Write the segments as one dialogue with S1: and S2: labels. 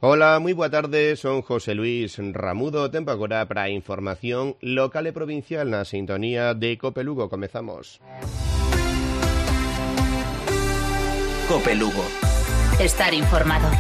S1: Ola, moi boa tarde, son José Luis Ramudo, tempo agora para a información local e provincial na sintonía de Cope Lugo. Comezamos.
S2: Cope Lugo. Estar informado.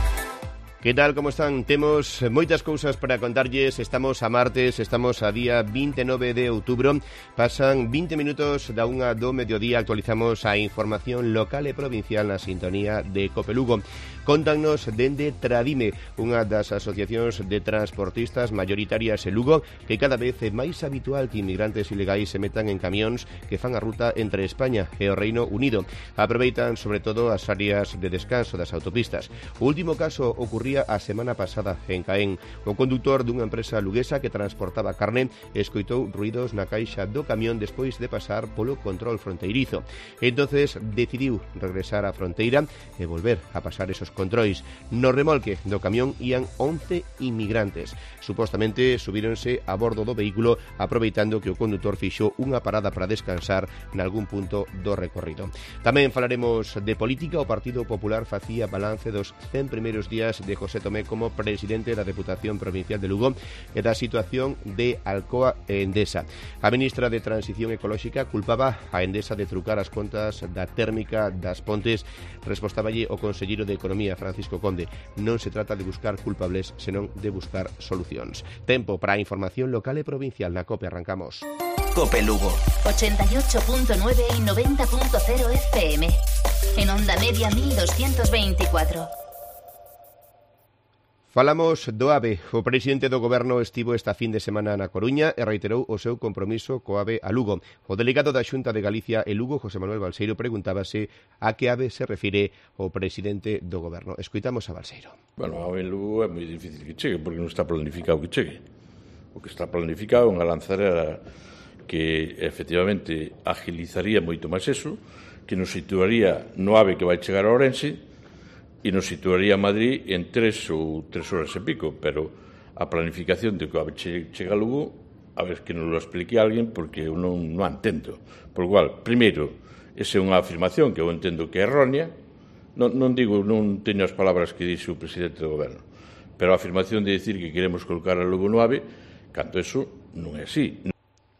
S1: Que tal, como están? Temos moitas cousas para contarlles. Estamos a martes, estamos a día 29 de outubro. Pasan 20 minutos da unha do mediodía. Actualizamos a información local e provincial na sintonía de Cope Lugo. Contannos dende Tradime, unha das asociacións de transportistas maioritarias en Lugo, que cada vez é máis habitual que inmigrantes ilegais se metan en camións que fan a ruta entre España e o Reino Unido. Aproveitan sobre todo as áreas de descanso das autopistas. O último caso ocurría a semana pasada en Caén. O condutor dunha empresa luguesa que transportaba carne escoitou ruidos na caixa do camión despois de pasar polo control fronteirizo. Entonces decidiu regresar á fronteira e volver a pasar esos controis. No remolque do camión ían 11 inmigrantes. Supostamente subíronse a bordo do vehículo aproveitando que o condutor fixo unha parada para descansar nalgún punto do recorrido. Tamén falaremos de política. O Partido Popular facía balance dos 100 primeiros días de José Tomé como presidente da Deputación Provincial de Lugo e da situación de Alcoa e Endesa. A ministra de Transición Ecolóxica culpaba a Endesa de trucar as contas da térmica das Pontes. Respostaballe o conselleiro de Economía, Francisco Conde. Non se trata de buscar culpables, senón de buscar solucións. Tempo para a información local e provincial na COPE. Arrancamos.
S2: Cope Lugo. 88.9 y 90.0 FM. En onda media 1224.
S1: Falamos do AVE. O presidente do Goberno estivo esta fin de semana na Coruña e reiterou o seu compromiso co AVE a Lugo. O delegado da Xunta de Galicia e Lugo, José Manuel Balseiro, preguntábase a que AVE se refire o presidente do Goberno. Escoitamos a Balseiro.
S3: Bueno, a AVE en Lugo é moi difícil que chegue, porque non está planificado que chegue. O que está planificado é unha lanzadera que efectivamente agilizaría moito máis eso, que nos situaría no AVE que vai chegar a Ourense e nos situaría a Madrid en 3 horas e pico, pero a planificación de que a chega a Lugo, a ver que nos lo explique alguén, porque eu non entendo. Por lo cual, primeiro, esa é unha afirmación que eu entendo que é errónea, non teño as palabras que dixe o presidente do Goberno, pero a afirmación de decir que queremos colocar a Lugo no AVE, canto eso non é así.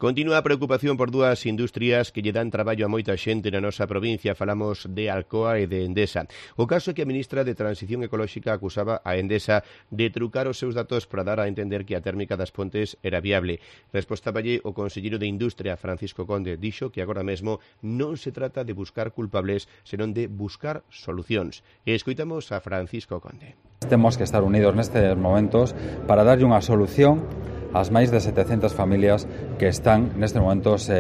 S1: Continúa a preocupación por dúas industrias que lle dan traballo a moita xente na nosa provincia. Falamos de Alcoa e de Endesa. O caso é que a ministra de Transición Ecolóxica acusaba a Endesa de trucar os seus datos para dar a entender que a térmica das Pontes era viable. Respostaballe o conselleiro de Industria, Francisco Conde. Dixo que agora mesmo non se trata de buscar culpables, senón de buscar solucións. E escoitamos a Francisco Conde.
S4: Temos que estar unidos nestes momentos para darlle unha solución ás máis de 700 familias que están nestes momentos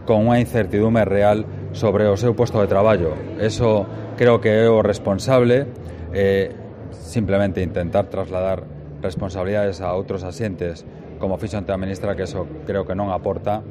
S4: con unha incertidume real sobre o seu posto de traballo. Eso creo que é o responsable, simplemente intentar trasladar responsabilidades a outros asientes, como fixo ante a ministra, que eso creo que non aporta.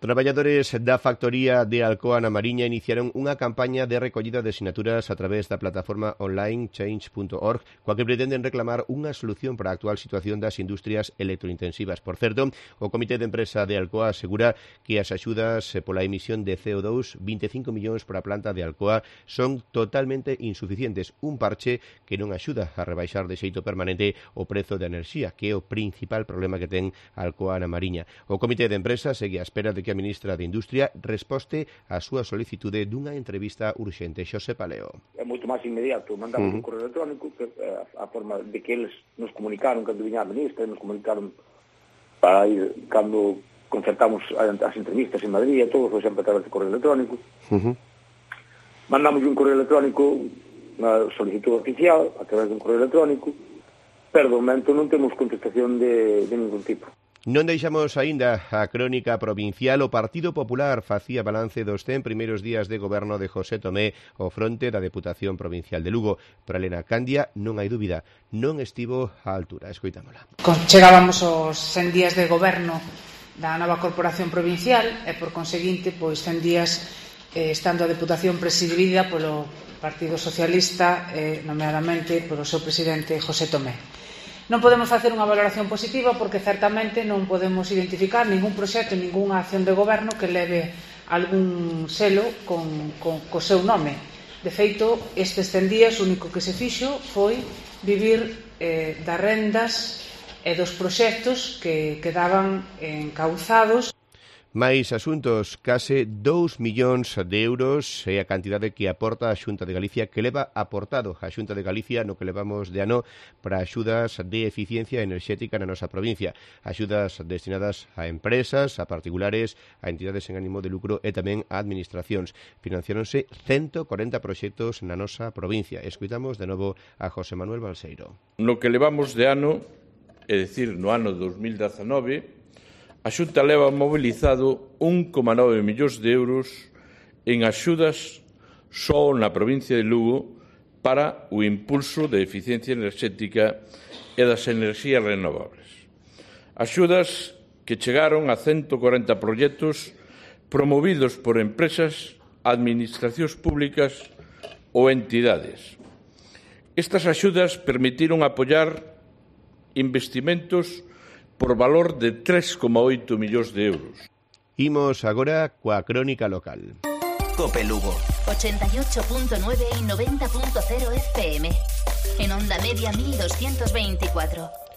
S1: Traballadores da factoría de Alcoa na Mariña iniciaron unha campaña de recollida de sinaturas a través da plataforma online change.org, coa que pretenden reclamar unha solución para a actual situación das industrias electrointensivas. Por certo, o Comité de Empresa de Alcoa asegura que as axudas pola emisión de CO2, 25 millóns para a planta de Alcoa, son totalmente insuficientes. Un parche que non axuda a rebaixar de xeito permanente o prezo da enerxía, que é o principal problema que ten Alcoa na Mariña. O Comité de Empresa segue á espera de que a ministra de Industria resposte á súa solicitude dunha entrevista urxente. Xosé Paleo.
S5: É moito máis inmediato. Mandamos un correo electrónico que a forma de que eles nos comunicaron cando viña a ministra, nos comunicaron para ir cando concertamos as entrevistas en Madrid e todo, foi sempre a través de correo electrónico. Mandamos un correo electrónico, unha solicitud oficial a través dun correo electrónico, pero de momento non temos contestación de ningún tipo.
S1: Non deixamos aínda a crónica provincial. O Partido Popular facía balance dos 100 primeiros días de goberno de José Tomé ao fronte da Deputación Provincial de Lugo. Para Elena Candia non hai dúbida, non estivo á altura. Escoitámola.
S6: Chegábamos aos 100 días de goberno da nova Corporación Provincial e, por conseguinte, 100 días estando a Deputación presidida polo Partido Socialista, nomeadamente polo seu presidente José Tomé. Non podemos facer unha valoración positiva porque certamente non podemos identificar ningún proxecto, ningunha acción de goberno que leve algún selo co seu nome. De feito, estes 100 días o único que se fixo foi vivir das rendas e dos proxectos que quedaban encauzados.
S1: Máis asuntos, case 2 millóns de euros é a cantidade que aporta a Xunta de Galicia, que leva aportado a Xunta de Galicia no que levamos de ano para axudas de eficiencia enerxética na nosa provincia. Axudas destinadas a empresas, a particulares, a entidades en ánimo de lucro e tamén a administracións. Financiáronse 140 proxectos na nosa provincia. Escuitamos de novo a José Manuel Balseiro.
S3: No que levamos de ano, é dicir, no ano 2019, a Xunta leva mobilizado 1,9 millóns de euros en axudas só na provincia de Lugo para o impulso de eficiencia enerxética e das enerxías renovables. Axudas que chegaron a 140 proxectos promovidos por empresas, administracións públicas ou entidades. Estas axudas permitiron apoiar investimentos por valor de 3,8 millóns de euros.
S1: Imos agora coa crónica local.
S2: Cope Lugo 88.9 y 90.0 FM. En onda media 1224.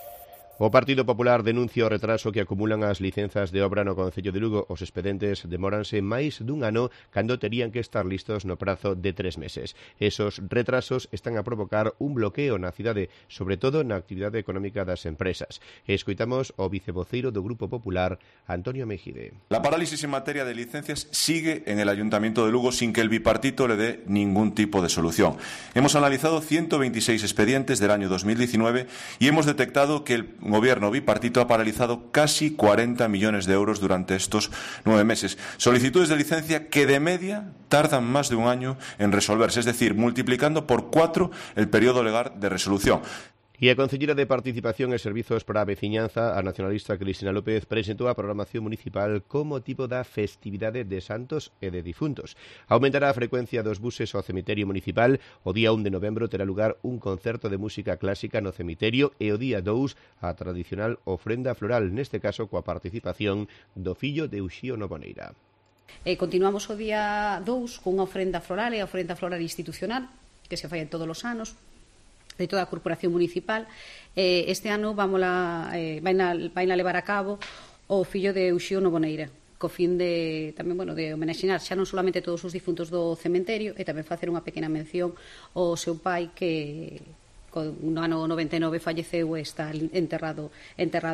S1: O Partido Popular denuncia o retraso que acumulan as licenzas de obra no Concello de Lugo. Os expedentes demóranse máis dun ano cando terían que estar listos no prazo de 3 meses. Esos retrasos están a provocar un bloqueo na cidade, sobre todo na actividade económica das empresas. Escoitamos o vicevoceiro do Grupo Popular, Antonio Mejide.
S7: La parálisis en materia de licencias sigue en el Ayuntamiento de Lugo sin que el bipartito le dé ningún tipo de solución. Hemos analizado 126 expedientes del año 2019 y hemos detectado que el Gobierno bipartito ha paralizado casi 40 millones de euros durante estos 9 meses. Solicitudes de licencia que de media tardan más de un año en resolverse, es decir, multiplicando por 4 el periodo legal de resolución.
S1: E a Concelleira de Participación e Servizos para a Veciñanza, a nacionalista Cristina López, presentou a programación municipal como tipo da festividade de santos e de difuntos. Aumentará a frecuencia dos buses ao cemiterio municipal. O día 1 de novembro terá lugar un concerto de música clásica no cemiterio e o día 2 a tradicional ofrenda floral, neste caso coa participación do fillo de Uxío Noboneira.
S8: Continuamos o día 2 con unha ofrenda floral e a ofrenda floral institucional que se fai todos os anos de toda a corporación municipal. Este ano vaina levar a cabo o fillo de Uxío Noboneira, co fin de tamén, de homenaxear xa non solamente todos os difuntos do cementerio e tamén facer unha pequena mención ao seu pai que no ano 99 falleceu e está enterrado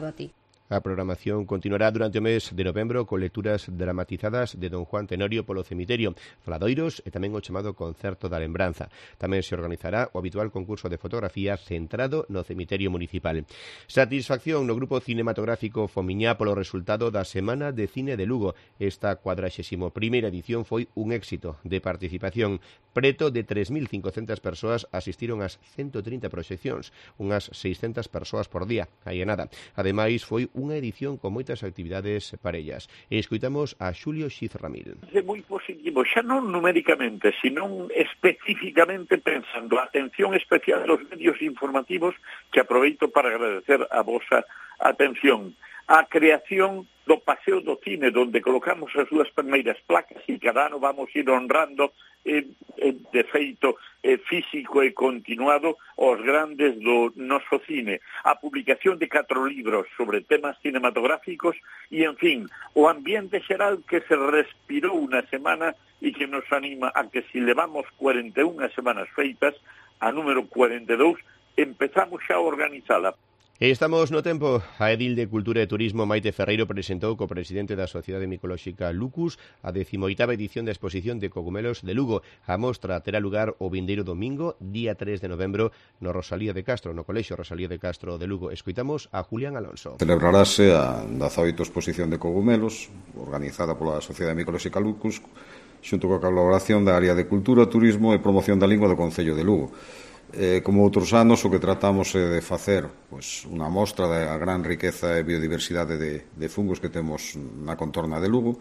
S8: aquí.
S1: A programación continuará durante o mes de novembro con lecturas dramatizadas de Don Juan Tenorio polo cemiterio, faladoiros e tamén o chamado Concerto da Lembranza. Tamén se organizará o habitual concurso de fotografía centrado no cemiterio municipal. Satisfacción no grupo cinematográfico Fomiñá polo resultado da Semana de Cine de Lugo. Esta 41ª edición foi un éxito de participación. Preto de 3.500 persoas asistiron ás 130 proxeccións, unhas 600 persoas por día, aí é nada. Ademais, foi unha edición con moitas actividades parellas. E escoitamos a Xulio Xiz Ramil.
S9: É moi positivo, xa non numéricamente, sino especificamente pensando a atención especial dos medios informativos, que aproveito para agradecer a vosa atención. A creación do Paseo do Cine, onde colocamos as dúas primeiras placas e cada ano vamos ir honrando de feito físico e continuado os grandes do noso cine. A publicación de 4 libros sobre temas cinematográficos e, en fin, o ambiente xeral que se respirou unha semana e que nos anima a que si levamos 41 semanas feitas, a número 42, empezamos xa a organizala.
S1: E estamos no tempo. A edil de Cultura e Turismo Maite Ferreiro presentou co presidente da Sociedade Micolóxica Lucus a 18ª edición da exposición de cogumelos de Lugo. A mostra terá lugar o vindeiro domingo, día 3 de novembro, no Rosalía de Castro, no Colexio Rosalía de Castro de Lugo. Escoitamos a Julián Alonso.
S10: Celebrarase a 18ª exposición de cogumelos, organizada pola Sociedade Micolóxica Lucus, xunto coa colaboración da área de Cultura, Turismo e Promoción da Lingua do Concello de Lugo. Como outros anos, o que tratamos é de facer unha mostra da gran riqueza e biodiversidade de fungos que temos na contorna de Lugo,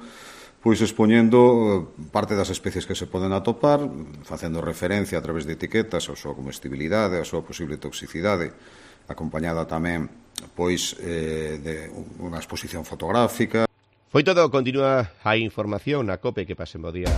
S10: expoñendo parte das especies que se poden atopar, facendo referencia a través de etiquetas a súa comestibilidade, a súa posible toxicidade, acompañada tamén de unha exposición fotográfica.
S1: Foi todo, continúa a información na COPE, que pasen bo día.